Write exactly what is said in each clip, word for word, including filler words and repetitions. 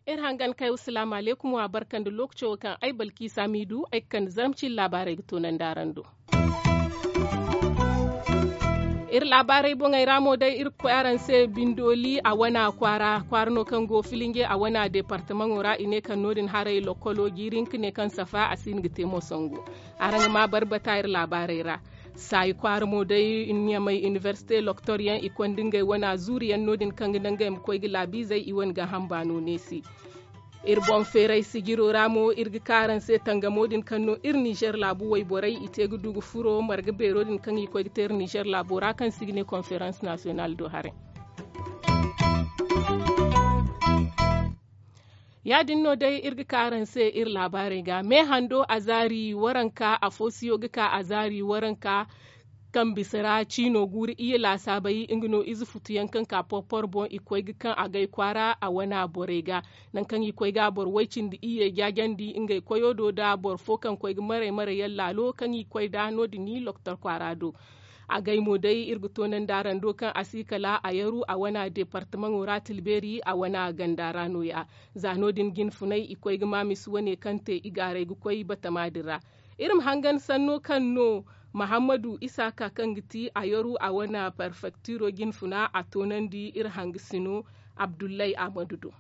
Iri hangan kay wa salaamu alaykum wa barka nda lookaco wo kaŋ ay balkiisa m'i du ay ga kande zarma cine laabaarey ga toonandi araŋ do. Iri laabaarey boŋey ra mo day iri ga koy araŋ se bindooli a wana kwaara kwaara no kaŋ go filinge a wana deepartamaŋo ra i ne kaŋ no- din haray lokkolo jiiri hinka ne kaŋ safa a si hin ga te mo sangu. Araŋ ga ma barbata iri laabaarey ra. Saayi kwaara mo day ɲamay inibersite loktoryaŋ i konda ngey wana zuuriyaŋ no- din kaŋ ga naŋ ngey ma koy ga laabiizey i wane gaaham baano neesi. Iri boŋ feeray sijiro ra mo iri ga ka araŋ se tangamo din kaŋ no iri nizer laabu wayborey i te ga du ga furo marga beero din kaŋ i koy ga te iri nizer laabo ra kaŋ se i ga ne konferans nasiyonal do haray. Ya- din no day iri ga ka araŋ se iri laabaarey ga meehando azaari waranka afo siyo ga ka azaari waranka kaŋ bisa ra ciino guuru iyye laasaabey nga no ize futuyaŋ kaŋ ka porpor boŋ i koy ga kaŋ agay kwaara a wana borey ga. Nangu kaŋ i koy ga boro way-cindi iyye jaajandi ngey koyo do nda boro fo kaŋ koy ga maray maray yaŋ laalo kaŋ i koy nd'a no- din i loktor kwaara do. Agay mo day iri ga toonandi araŋ do kaŋ a si kala a yaru a wana deepartamaŋo ra tilbeeri a wana ganda ra nooya. Za no- din jinfunay i koy ga ma misi wane kaŋ te i gaaray ga koy batama din ra. Iri ma hangan sanno kaŋ no mahammadu isaaka kaŋ ga ti a yaru a wane perfektiro jinfuna a toonandi iri hangasino abdullahi ahmadu do.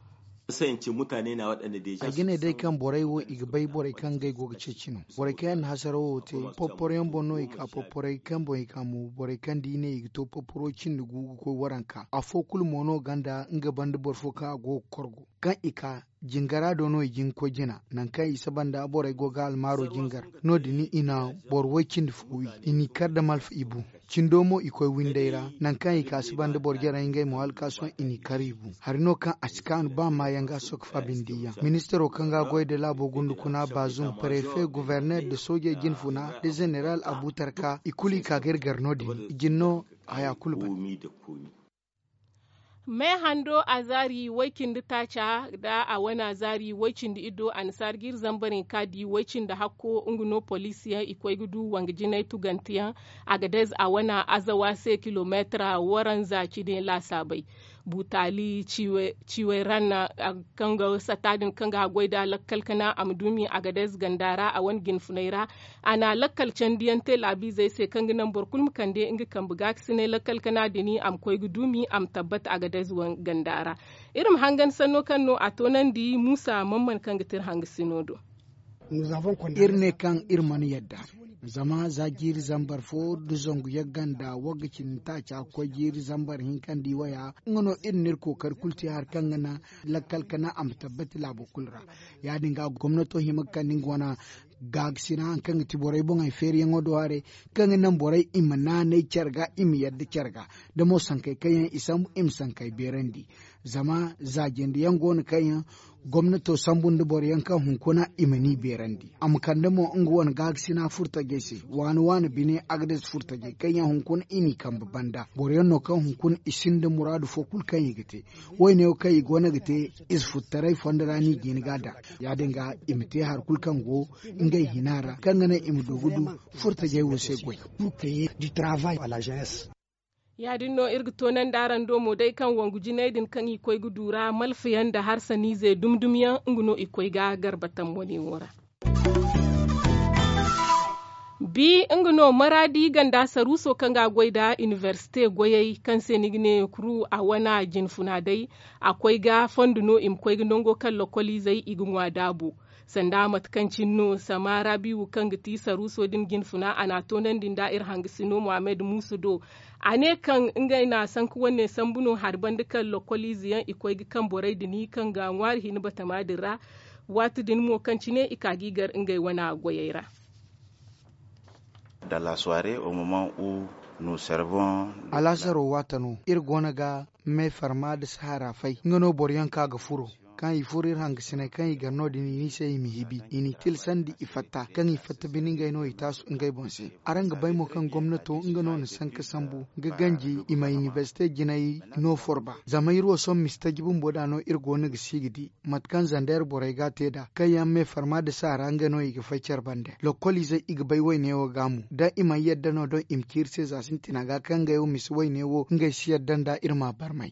A ga ne day kaŋ borey wo i ga bay borey kaŋ ngey go ga ceeci no. Borey kaŋ yaŋ na hasarawo wo te porporoyaŋ boŋ no i ka porporey kaŋ boŋ i ka mo borey kaŋ da i ne i ga to porporo cindi gu ga koy waranka afo kulu mo no gonda nga banda boro fo kaŋ a go ga korgo kaŋ i ka jingara do no i jin ga koy jina. Nangu kaŋ i saba nda borey go ga almaaro jingar no- din i na boro way cindi fo wi i n'i kar nda malfa i bu. Cindo mo i koy windey ra nangu kaŋ i ka si banda boro jarey ngey mo hala ka sohõ i n'i kar i bu. Hari no kaŋ a si kaanu ba maayaŋ ga sokka fa bindi yaŋ ministaro kaŋ ga goy nda laabo gundu kuna baazum parefe governer nda soojey jinfuna nda zeneral abutarka i kulu i ka ga iri gar no- din i jin no haya kulu ban. Meehando azaari way-cindi taaca nda a wane azaari way-cindi iddo annasaara jiiri zambar hinka di way-cindi hakko nga no poliisi yaŋ i koy ga du wanga jinay tuganteyaŋ. Agadez a wane azawa se kilomeetira waranza cine laasaabey. Butaali ciway ranna kaŋ ga sata din kaŋ ga haggoy nda lakkal kana a ma duumi agadez ganda ra a wane jinfunay ra. A na lakkal candiyaŋ te laabiizey se kaŋ ga naŋ boro kulu ma kande nga kambe gaakasinay lakkal kana din a ma koy ga duumi a ma tabbat agadez ganda ra. Iri ma hangan sanno kaŋ no a toonandi muusa mamman kaŋ ga te iri hangasino do. Iri ne kaŋ iri mana yadda zama za jiiri zambar fo nda zangu yagga nda wagga cindi taaca ga koy jiiri zambar hinka nda i waya nga no iri na iri kookari kulu te hari kaŋ ga naŋ lakkal kana a ma tabbati laabo kulu ra. Ya- din ga gomnato hima ga kande nga wane gaakasina hari kaŋ ga ti borey boŋey feeriyaŋo do haray kaŋ ga naŋ borey i ma naanay care ga i ma yadda care ga da mo sankey kaŋ yaŋ i sambu i ma sankey beerandi. Zama za jinde yaŋ go no kaŋ yaŋ gomnato sambu nda boro yaŋ kaŋ hunkuna i ma ni beerandi a ma kande mo nga wane gaakasina furtajey se waani waani bine agades furtajey kaŋ yaŋ hunkuna i n'i kambe banda boro yaŋ no kaŋ hunkuna i sinda muraadu fo kulu kaŋ i ga te. Woyne wo kaŋ i go no ga te ize futtaray fondo ra no i ga hin ga a daŋ. Ya- din ga i ma te hari kulu kaŋ go ngey hina ra kaŋ ga naŋ i ma du ga du furtajey wo se goy. Ya- din no iri ga toonandi araŋ do mo day kaŋ wangu jinay din kaŋ i koy ga du ra malfayaŋ nda harsaniize dumi dumi yaŋ nga no i koy ga garbatam wane wo ra. Bi nga no maraadi ganda saruuso kaŋ ga a goy nda inibersite goyey kaŋ se ni ga ne kuru a wane jinfuna day a koy ga fondo no i ma koy ga nango kaŋ lokoliizey i ga ŋwa daabu. Sanda mate kaŋ cine no samaara biiwu kaŋ ga ti saruuso din jinfuna a n'a toonandi nda iri hangasino muhammad muusa do. A ne kaŋ ngey na sanka wane sambu no hari banda kaŋ lokoliize yaŋ i koy ga kaŋ borey din kaŋ ga ŋwaari hin batama din ra. Waati din mo kaŋ cine i ka ga i gar ngey wane goyey ra. Alaasaro waata no iri go no ga me farma nda sahara fay nga no boro yaŋ kaŋ a ga furo. kaŋ i furo iri hangasiney kaŋ i gar no- din i ne i se i ma hibi i n'i tilasandi i fatta kaŋ i fatta bine ngey no i taasu ngey boŋ se. Araŋ ga bay mo kaŋ gomnato nga no na sanka sambu ga ganji i ma inibersite jinay no forba zama iri wo sohõ misi taji bumbo nd'a no iri go no ga si ga di mate kaŋ zandeer borey ga a te nd'a kaŋ yaŋ me farma nda saara nga no i ga fay care bande lokoliizey i ga bay wayne wo ga mo da i mana yadda no doŋ i ma ci iri se za sintina ga kaŋ ngey wo misi wayne wo ngey si yadda nd'a iri m'a barmay.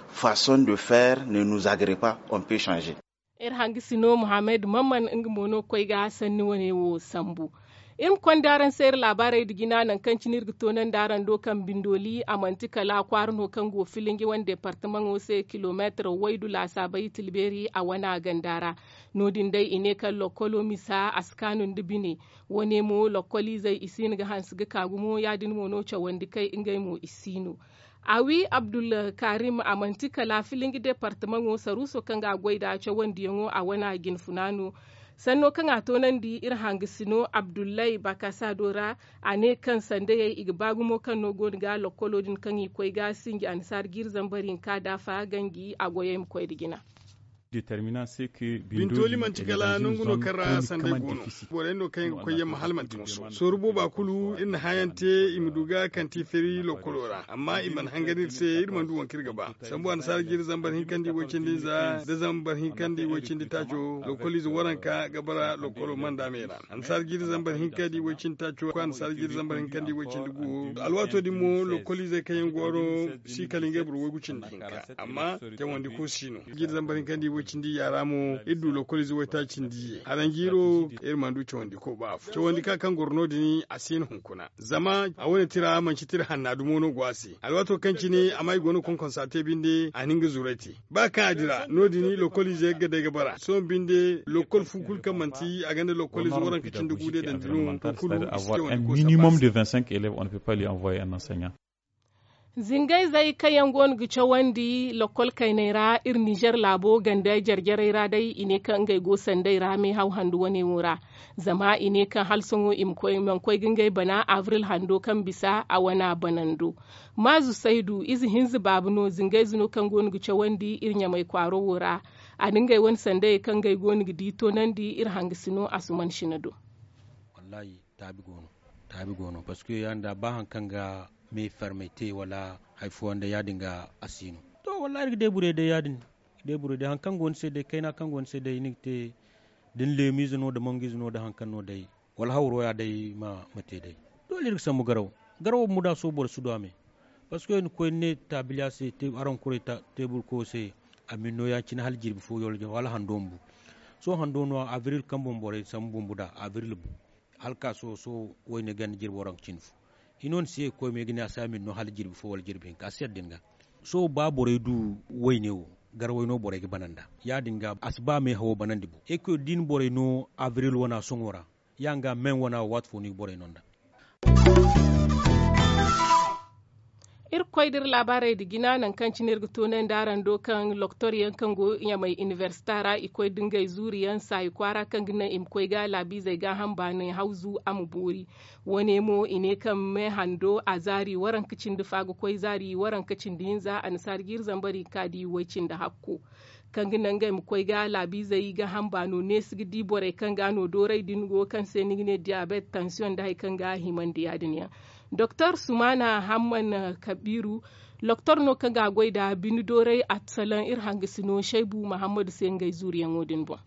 Façon de faire ne nous agrée pas, on peut changer. Iri hangasino muhammad mamman nga mo no ga koy ga sanni wane wo sambu. Iri ma konda araŋ se iri laabaarey nda jina nangu kaŋ cine iri ga toonandi araŋ do kaŋ bindoli a manti kala kwaara no kaŋ go filinji wane deepartamaŋo se kilomeetar waydu laasaabey tilbeeri a wana ganda ra. No- din day i ne kaŋ lokkolo misa a si kaanu nda bine. Wane mo lokkoliizey i si hin ga hanse ga ka gumo ya- din mo no cawandi kay ngey mo i si no. Awi abdulkarim a manti kala filinji deepartamaŋo saruuso kaŋ ga a goy nd'a cawandiyaŋo a wana jinfuna no. Sanno kaŋ a toonandi iri hangasino abdullahi bakasado ra a ne kaŋ sandayey i ga ba gumo kaŋ no go no ga lokkolo din kaŋ i koy ga sinji annasaara jiiri zambar hinka daafa ganji a goyey ma koy nda jina. Bintoli manti kala nangu no kaŋ ra sanday go no. Borey no kaŋ ga koy yamma hala manti moso sooru booba kulu iri na hãayaŋ te i ma du ga kaŋ ti feeri lokkolo ra amma i mana hangan iri se iri mana du waŋ kaŋ iri ga ba. Sambu annasaara jiiri zambar hinkandi way-cindi za nda zambar hinkandi way-cindi taaco lokkoliize waranka ga bara lokkolo manda me ra. Annasaara jiiri zambar hinkandi way-cindi taaco koy annasaara jiiri zambar hinkandi way-cindi gu. Alwaato din mo lokkoliizey kaŋ yaŋ goro si kala ngey boro waygu cindi hinka amma cawandi ko si no. Jiiri zambar hinkandi way-cindi yaara mo iri du lokkoliize waytaaci cindi ye haranjiiro iri mana du cawandi ko ba afo cawandi ka kaŋ goro no- din a si hin hunkuna. Zama a wane tira manci tira hanna dumo no go a se alwaato kaŋ cine amma i go no konkonsa te binde a na nga zuray te. Ba kaŋ a dira no- din lokkoliize ga day ga bara sohõ binde lokkol fu kulu kaŋ manti a gonda lokkoliize waranka cindi gu day dandi no. Kulu i si cawandi ko minimum de vingt cinq élèves on ne peut pas lui envoyer un enseignant. Zingayzey kaŋ yaŋ go no ga cawandi lokkol kayney ra iri ninzeer laabo ganda jare-jarey ra day i ne kaŋ ngey go sanday ra meehaw handu wane wo ra. Zama i ne kaŋ hala sohõ i mana koy ga ngey bana abril hando kaŋ bisa a wana banando. Maazu saydu ize hinza baaba no zingayze no kaŋ go no ga cawandi iri ɲamay kwaaro wo ra. A na ngey wane sandayey kaŋ ngey go no ga di toonandi iri hangasino asuman sina do. Taabi go no parceque ya- din da ba hari kaŋ ga me farmey te wala hari fooyaŋ day ya- din ga a si no. To wallahi iri ga deeburay day ya- din. Deeburay day hari kaŋ go ni se day kayna kaŋ go ni se day ni ga te da ni leemiize no nda mangu ize no nda hari kaŋ no day wala hawro ya day ma te day. Doole iri ga sambu garawo. Garawo bumbo da sohõ boro si du a me. Parceque ni koy ni ne taabiliya se araŋ kuray teebur koyo se a ma ni no ya- cine hala jirbi fo wala hando bumbo. Sohõ hando no abril kaŋ boŋ borey sambu bumbo nd'a abril bu. Hala ka sohõ sohõ wayne ganda jirbi waranka cine fo. Hino ni si ye ga koy me ga ne a si a ma ni no hala jirbi fo wala jirbi hinka a si yadda ni ga. Sohõ ba borey du wayne wo garawey no borey ga bana nd'a. Ya- din ga a si ba meehawo banandi bo. E koy da i na borey no abril wana sohõ ra. Ya- din ga me wana wo waati fo no i ga borey no nd'a. Iri ga koy da iri laabaarey nda jina nangu kaŋ cine iri ga toonandi araŋ do kaŋ loktor yaŋ kaŋ go ɲamay inibersita ra i koy da ngey zuuri yaŋ saayi kwaara kaŋ ga naŋ i ma koy ga laabiizey gaaham baanay hawzu a ma boori. Wane mo i ne kaŋ me hando a zaari waranka cindi fa ga koy zaari waranka cindi hinza annasaara jiiri zambar hinka di way- cindi hakko. Kaŋ ga naŋ ngey ma koy ga laabiizey gaaham baano neesi ga di borey kaŋ ga no dooray din go kaŋ se ni ga ne diyabeet tansiyoŋ nda hari kaŋ ga a himandi ya- din yaŋ. Doktor sumana hamman kabiiru loktor no kaŋ ga a goy nda bine dooray a salaŋ iri hangasino saybu mahammadu se ngey zuuriyaŋo din boŋ.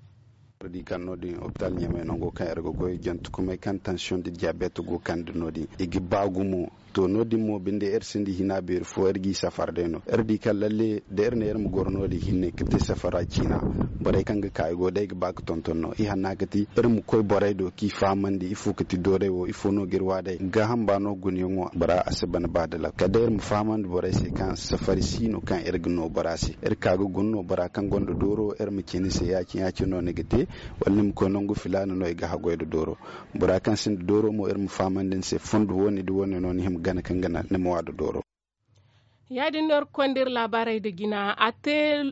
Iri di kaŋ no- din opitaal ɲamay nango kaŋ iri ga goy jantukumey kaŋ tansiyoŋ nda diyabeet go kande no- din i ga ba gumo. To no- din mo binde iri sinda hina beeri fo iri g'i safar day no iri di kaŋ lalle da iri ne iri ma goro no- din hinne ga te safara ciina. Borey kaŋ ga ka i go day ga ba ga tonton no i hanna ga ti iri ma koy borey do k'i fahamandi ifo ga ti dooray wo ifo no ga iri wa day gaaham ba no gunayaŋo bora a si ban ba da lakkal kala day iri ma fahamandi borey se kaŋ safari si no kaŋ iri ga no bora se iri ka ga guna no bora kaŋ gonda dooro iri ma ci ni se ya- cine ya- cine no ni ga te. Wala ni ma koy nangu filaana no i ga haggoy nda dooro. Bora kaŋ sinda dooro mo iri ma fahamandi ni se fondo wo- ne da wo- ne no ni hima gana kaŋ ga naŋ ni ma wa nda dooro. Ya- din no iri ga konda iri laabaarey nda jina a te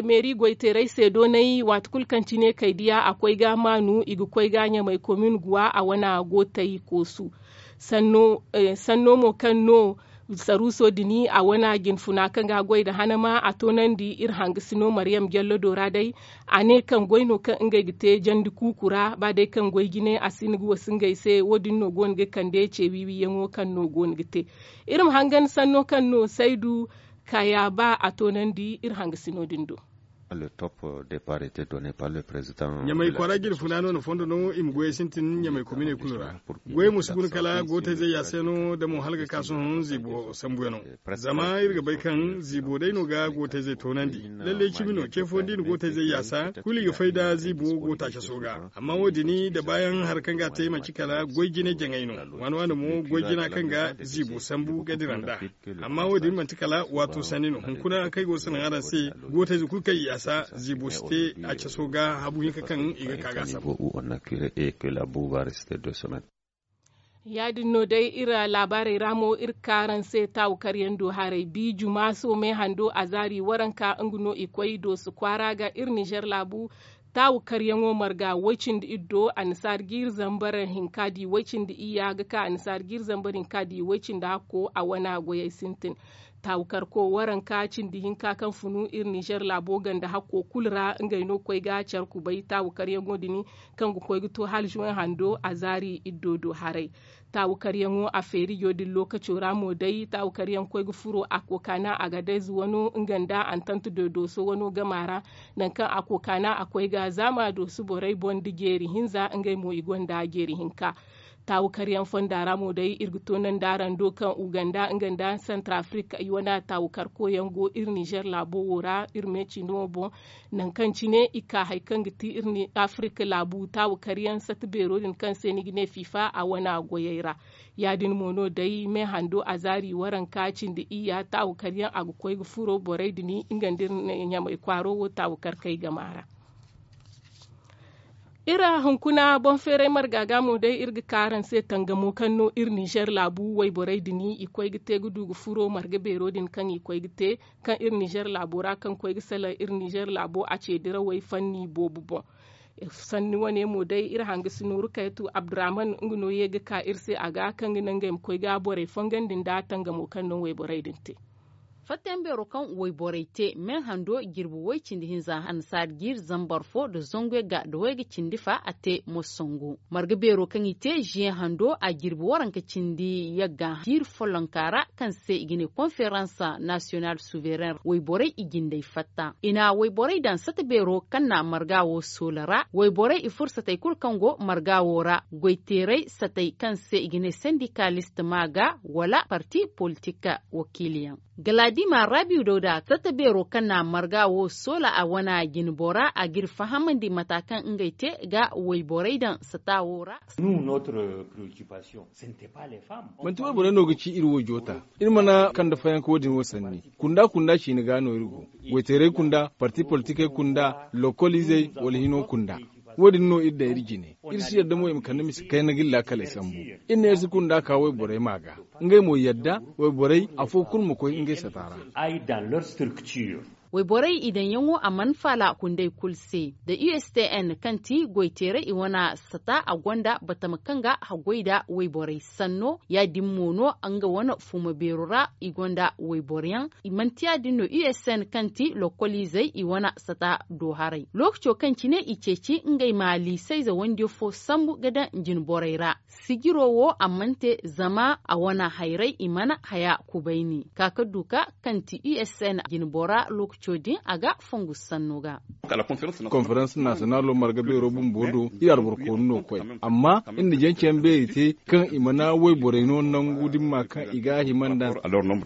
meeri goyteerey se doonay waati kulu kaŋ cine kay diya a koy ga maanu i ga koy ga ɲamay komin guwa a wana go tay koosu. Sanno mo kaŋ no Saruuso din a wane jinfuna kaŋ ga a goy nda hanama a toonandi iri hangasino mariyam jallo do ra day. A ne kaŋ goy no kaŋ ngey ga te jandi kuuku ra ba day kaŋ goy jine a si hin ga wasu ngey se wo- din no go no ga kande ce wiiwiyaŋo kaŋ no go no ga te. Iri ma hangan sanno kaŋ no saydu kaya ba a toonandi iri hangasino din do. Ɲamay kwaara jirfuna no na fondo no i ma goyey sintin ɲamay kominey kulu ra. Goyey mo si guna kala gootayzey ya se no da mo hala ga ka sohõ ziibo sambuyaŋo. Zama iri ga bay kaŋ ziibo day no ga gootayzey toonandi. Lalle cimi no ce fooyaŋ da i na gootayzey yaasa kulu i ga fay nda ziibo gootaacaso ga. Amma wo- din da baayaŋ hari kaŋ ga a te manti kala goy jine jaŋay no. Waani waani mo goy jina kaŋ ga ziibo sambu ga dira nd'a. Amma wo- din manti kala waato sanni no hunkuna kaŋ ay go ga salaŋ araŋ se. Gootayze kulu kaŋ i yaasa ziibo si te a caso ga habu hinka kaŋ i ga ka ga a sambu. Ya- din no day iri laabaarey ra mo iri ga ka araŋ se taawu karyaŋ do haray bi jumaaso me hando azaari waranka nga no i koy dooso kwaara ga iri nizer laabu. Taawu karyaŋo marga way- cindi iri do annasaara jiiri zambar hinka di way- cindi iyya ga ka annasaara jiiri zambar hinka di way- cindi hakko a wana goyey sintin. Taawu karko waranka cindi hinka kaŋ funu iri nizer laabo ganda hakko kulu ra ngey no ga koy ga care kubay taawu karyaŋo din kaŋ ga koy ga to hala zuwey hando azaari iddo do haray. Taawu karyaŋo a feerijo din lookaco ra mo day taawu karyaŋ koy ga furo a kookana agadez wano nga nda antant do dooso wano gama ra. Nangu kaŋ a kookana a koy ga zaama dooso borey boŋ nda jeeri hinza ngey mo i gonda jeeri hinka. Taawu karyaŋ fonda ra mo day iri ga toonandi araŋ do kaŋ uganda nga nda santar afirika i wane taawu karkoyaŋ go iri nizer laabo wo ra iri me cino boŋ. Nangu kaŋ cine i ka hari kaŋ ga ti iri afirika laabu taawu karyaŋ sata beero din kaŋ se ni ga ne fifa a wane goyey ra. Ya- din mo no day me hando azaari waranka cindi iyya taawu karyaŋ a ga koy ga furo borey din nga nda iri ɲamay kwaaro wo taawu karkey gama ra. Iri hunkuna boŋ feeray marga ga mo day iri ga ka araŋ se tangamo kaŋ no iri nizer laabu wayborey din i koy ga te ga du ga furo marga beero din kaŋ i koy ga te kaŋ iri nizer laabo ra kaŋ koy ga salaŋ iri nizer laabo a ce dirawey fanni boobo boŋ. Sanni wane mo day iri hanga si nooru kayatu abdurrahman nga no ye ga ka iri se a ga kaŋ ga naŋ ngey ma koy ga borey fongandi nda tangamo kaŋ no wayborey din te. Fattayaŋ beero kaŋ wayborey te me hando jirbi way cindi hinza annasaari jiiri zambar fo nda zangu yagga nda wayga cindi fa a te mosongo. Marga beero kaŋ i te ziye hando a jirbi waranka cindi yagga jiiri follonka ra kaŋ se i ga ne konferans nasiyonal suvereŋ wayborey i jindey fatta i na wayborey daŋ sata beero kaŋ na marga wo soola ra wayborey i furo satey kulu kaŋ go marga wo ra goyteerey satey kaŋ se i ga ne sendikaalist ma ga wala parti politik wakiiliyaŋ. Galadima rabiu dawda sata beero kaŋ na marga wo soola a wana jinbora a ga iri fahamandi mata kaŋ ngey te ga wayborey daŋ sata wo ra. Manti wayborey no ga ci iri wo joota. Iri mana kande fayanka wo- din wo sanni kunda kunda ciine ga no iri go. Goyteerey kunda parti politikey kunda lokol izey wala hino kunda. Wo- din no iri daŋ iri jine iri si yadda mo i ma kande mise kayna ga iri laakaley sambu. Iri ne iri si kunda ka wayborey ma ga ngey mo yadda wayborey afo kulu ma koy ngey sata ra. Wayborey i daŋyaŋo a mana faala kundey kulu se da u s t n kaŋ ti goyteerey i wane sata a gonda batama kaŋ ga haggoy nda wayborey sanno ya- din mo no nga wane fuuma beero ra i gonda wayboryaŋ. I manti ya- din no u s n kaŋ ti lokoliizey i wane sata do haray lookaco kaŋ cine i ceeci ngey ma liisayze wandiyo fo sambu ga daŋ jinborey ra. Sijiro wo a mana te zama a wane hayrey i mana haya kubayni ka ka duka kaŋ ti u s n jinbora lookaco din a ga fongu sanno ga. Konferans nasiyonalo marga beero bumbo do iri alboro koonu no koy amma iri na jancayaŋ beeri te kaŋ i mana wayborey no nangu dimma kaŋ i ga a hima nda.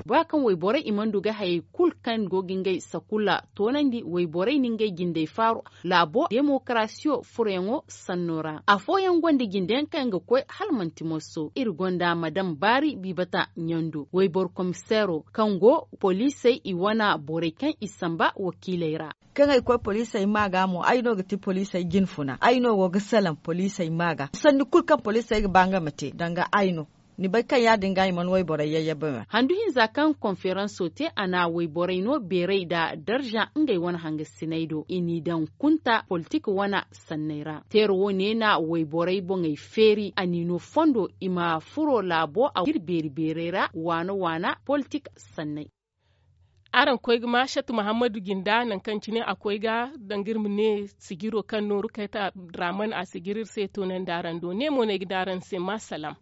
Bora kaŋ wayborey i mana du ga hayey kulu kaŋ go ga ngey sakula toonandi wayborey na ngey jindey faaru laabo demokarasiyo furoyaŋo sanno ra afooyaŋ gonda jindeyaŋ kaŋ ga koy hala manti moso iri gonda madam baari biibata ɲando wayboro komiseero kaŋ go poliisey i wane borey kaŋ i samba wakiiley ra. Kaŋ ay koy poliisey ma ga mo ay no ga ti poliisey jinfuna ay no go ga salaŋ poliisey ma ga sanni kulu kaŋ poliisey ga ba nga ma te danga ay no. Ni bay kaŋ ya- din ga i mana wayborey yayyabayaŋ. Handu hinza kaŋ konferanso te a na wayborey no beeray nda darza ngey wane hangasiney do i n'i daŋ kunta politik wane sanney ra. Teera wo ne na wayborey boŋey feeri a n'i no fondo i ma furo laabo a ga iri beeri beeray ra waana waana politik sanney. Araŋ koy ga ma shat muhammadu jinda nangu kaŋ cine a koy ga danga iri ma ne sijiro kaŋ nooru kayta draman a sijiri iri se toonandi araŋ do ne mo no ay ga ne araŋ se ma salaam.